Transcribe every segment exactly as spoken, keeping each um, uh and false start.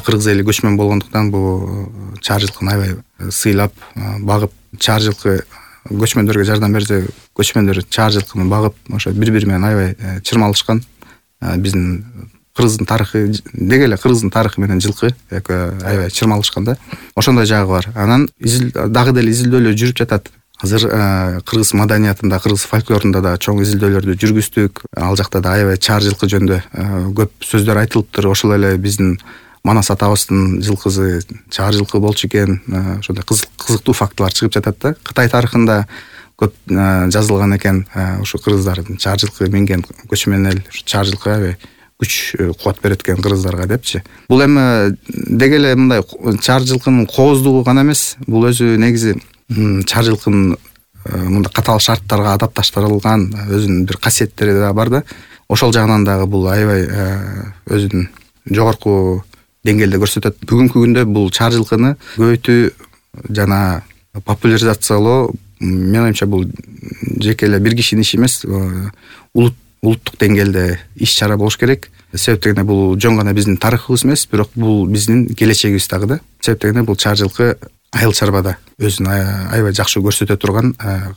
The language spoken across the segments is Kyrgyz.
кыргыз эли көчмөн болгондуктан бул чаар жылкыны аябай сыйлап багып, чаар жылкы көчмөндөргө жардам берсе, көчмөндөр чаар жылкыны багып, ошо бири-бири менен аябай чырмалышкан. Биздин кыргыздын тарыхы деги эле кыргыздын тарыхы менен жылкы аябай чырмалышкан да. Ошондой жагы бар. Анан дагы деле изилдөөлөр жүрүп жатат. Азыр кыргыз маданиятында, кыргыз фольклорунда да чоң изилдөөлөрдү жүргүздүк. Ал жакта да аябай чаар жылкы жөнүндө көп сөздөр айтылыптыр. Ошол эле биздин Манас атабыздын жылкысы чаар жылкы болчу экен. Ошондой кызыктуу фактылар чыгып жатат да. Кытай тарыхында көп жазылган экен, ушу кыргыздардын чаар жылкы минген көчмөн эл чаар жылкы аябай күч кубат берет экен кыргыздарга депчи. Бул эми деги эле мындай чаар жылкынын кооздугу гана эмес, бул өзү негизи чаар жылкынын мындай катаал шарттарга адапташтырылган өзүнүн бир касиеттери да бар да. Ошол жагынан дагы бул аябай өзүнүн жогорку деңгээлде көрсөтөт. Бүгүнкү күндө бул чаар жылкыны көбөйтүү жана популяризациялоо, мен оюмча, бул жеке эле бир кишинин иши эмес, улут улуттук деңгээлде иш-чара болуш керек. Себеп дегенде бул жөн гана биздин тарыхыбыз эмес, бирок бул биздин келечегибиз дагы да. Себеп дегенде бул чаар жылкы айыл чарбада өзүн аябай жакшы көрсөтө турган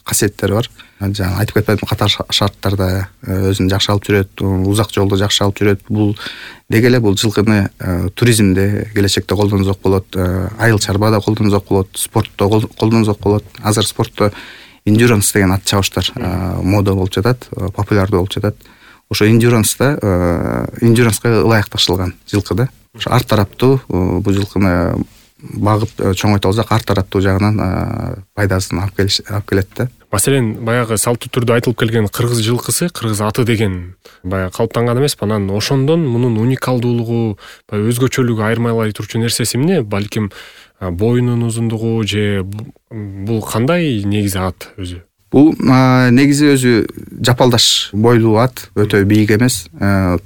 касиеттери бар. Жана айтып кетпедим, катаал шарттарда өзүн жакшы алып жүрөт, узак жолду жакшы алып жүрөт. Бул деги эле бул жылкыны туризмде келечекте колдонсок болот, айыл чарбада колдонсок болот, спортто колдонсок болот. Азыр спортто endurance деген ат чабыштар мода болуп жатат, популярдуу болуп жатат. Ошо endurance-да endurance-га ылайыкташылган жылкы да. Ошо ар тараптуу бул жылкыны багып чоңойто алсак, ар тараптуу жагынан пайдасын алып келет да. Маселен, баягы салттуу түрдө айтылып келген кыргыз жылкысы, кыргыз аты деген баягы калыптанган эмес, анан ошондон мунун уникалдуулугу, өзгөчөлүгү айырмалай турчу нерсеси эмне? Балким боюнун узундугу же бул кандай негизи ат өзү? Бул негизи өзү жапалдаш бойлуу ат, өтө бийик эмес,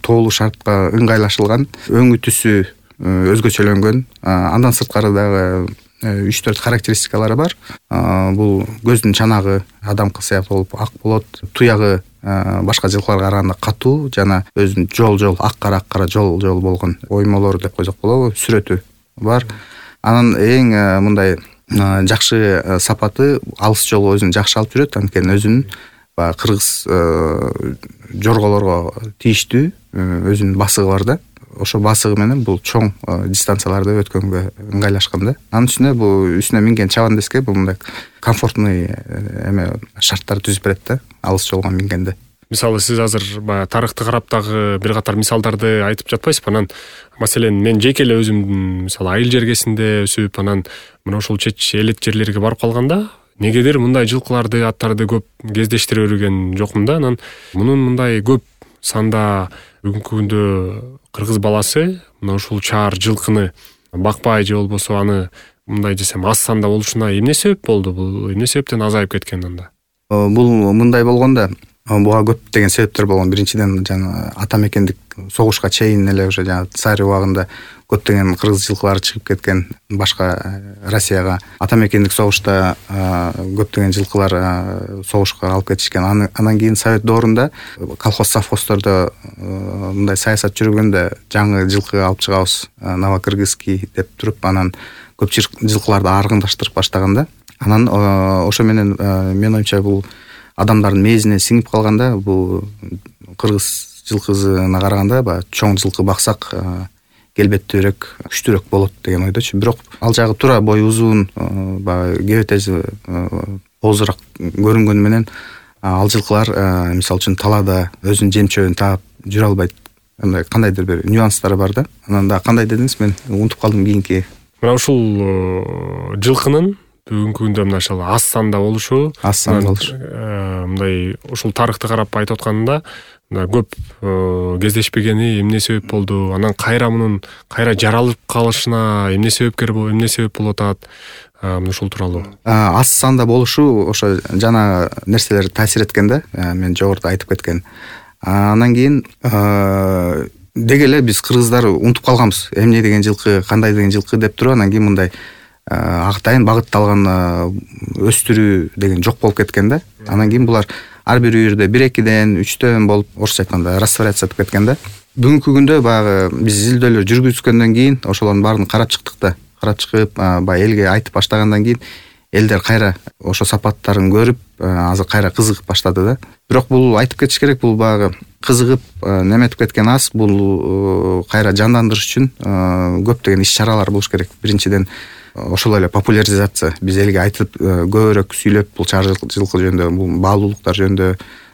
тоолуу шартка ыңгайлашылган, өңү түсү өзгөчөлөнгөн. Андан сырткары дагы үч төрт характеристикалары бар. Бул көздүн чанагы адамкы сыяктуу болуп ак болот, туягы башка жылкыларга караганда катуу жана өзүнүн жол-жол ак-кара ак-кара жол-жол болгон оймолору деп койсок болобу, сүрөтү бар. Анан эң мындай жакшы сапаты алыс жолго өзүн жакшы алып жүрөт, анткени өзүнүн баягы кыргыз жорголорго тийиштүү өзүнүн басыгы бар да. Ошо басыгы менен бул чоң дистанцияларды өткөнгө ыңгайлашкан да. Анын үстүнө бул үстүнө минген чабандеске бул мындай комфортный эме шарттар түзүп берет да, алыс жолго мингенде. Мисалы, сиз азыр баягы тарыхты карап дагы бир катар мисалдарды айтып жатпайсызбы? Анан маселен, мен жеке эле өзүм мисалы айыл жергесинде өсүп, анан мына ошол чет элет жерлерге барып калганда, негедир мындай жылкыларды, аттарды көп кездештире берген жокмун да. Анан мунун мындай көп санда бүгүнкү күндө кыргыз баласы мына ушул чаар жылкыны бакпай же болбосо аны мындай десем аз санда болушуна эмне себеп болду? Бул эмне себептен азайып кеткен анда? Бул мындай болгондо буга көптөгөн себептер болгон. Биринчиден, жана ата мекендик согушка чейин эле уже жана царь убагында көптөгөн кыргыз жылкылары чыгып кеткен башка Россияга. Ата мекендик согушта көптөгөн жылкылар согушка алып кетишкен. Андан кийин Совет доорунда колхоз совхоздордо мындай саясат жүргөндө жаңы жылкы алып чыгабыз, новокыргызский деп туруп, анан көп жылкыларды аргындаштырып баштаган да. Анан ошо менен мен оюмча бул адамдардын мээзине сиңип калганда, бул кыргыз жылкысына караганда баягы чоң жылкы баксак келбеттүүрөөк, күчтүүрөөк болот деген ойдочу. Бирок ал жагы туура бою узун, баягы кебетези озураак көрүнгөнү менен ал жылкылар мисалы үчүн талаада өзүнүн жем чөбүн таап жүрө албайт. Андай кандайдыр бир нюанстары бар да. Анан да кандай дедиңиз, мен унутуп калдым кийинки. Мына ушул жылкынын бүгүнкү күндө мына ушул аз санда болушу, аз санда болушу. Мындай ушул тарыхты карап айтып атканда, көп кездешпегени эмне себеп болду? Анан кайра мунун кайра жаралып калышына эмне себепкер болуп, эмне себеп болуп атат? Мына ушул тууралуу. Аз санда болушу ошо жана нерселер таасир эткен да. Мен жогоруда айтып кеткен. Андан кийин деги эле биз кыргыздар унутуп калганбыз. Эмне деген жылкы, кандай деген жылкы деп туруп, анан кийин мындай акытайын багытталган өстүрүү деген жок болуп кеткен да. Анан кийин булар ар бир үйүрдө бир экиден үчтөн болуп орусча айтканда растворяться этип кеткен да. Бүгүнкү күндө баягы биз изилдөөлөр жүргүзгөндөн кийин ошолордун баарын карап чыктык да. Карап чыгып баягы элге айтып баштагандан кийин элдер кайра ошо сапаттарын көрүп азыр кайра кызыгып баштады да. Бирок бул айтып кетиш керек, бул баягы кызыгып неметип кеткен аз, бул кайра жандандырыш үчүн көптөгөн иш чаралар болуш керек. Биринчиден ошол эле популяризация, биз элге айтып көбүрөөк сүйлөп бул чар жылкы жөнүндө, бул баалуулуктар жөнүндө,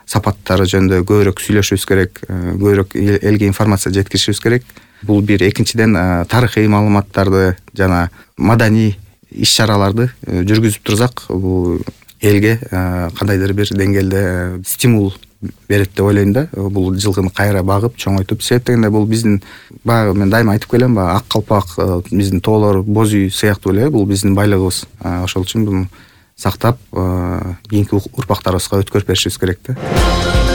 сапаттары жөнүндө көбүрөөк сүйлөшүбүз керек, көбүрөөк элге информация жеткиришибиз керек. Бул бир. Экинчиден тарыхый маалыматтарды жана маданий иш чараларды жүргүзүп турсак, бул элге кандайдыр бир деңгээлде стимул берет деп ойлойм да. Бул жылкыны кайра багып, чоңойтуп, себеп дегенде бул биздин баягы мен дайыма айтып келем, баягы ак калпак, биздин тоолор, боз үй сыяктуу эле бул биздин байлыгыбыз. Ошол үчүн буну сактап, кийинки урпактарыбызга өткөрүп беришибиз керек да.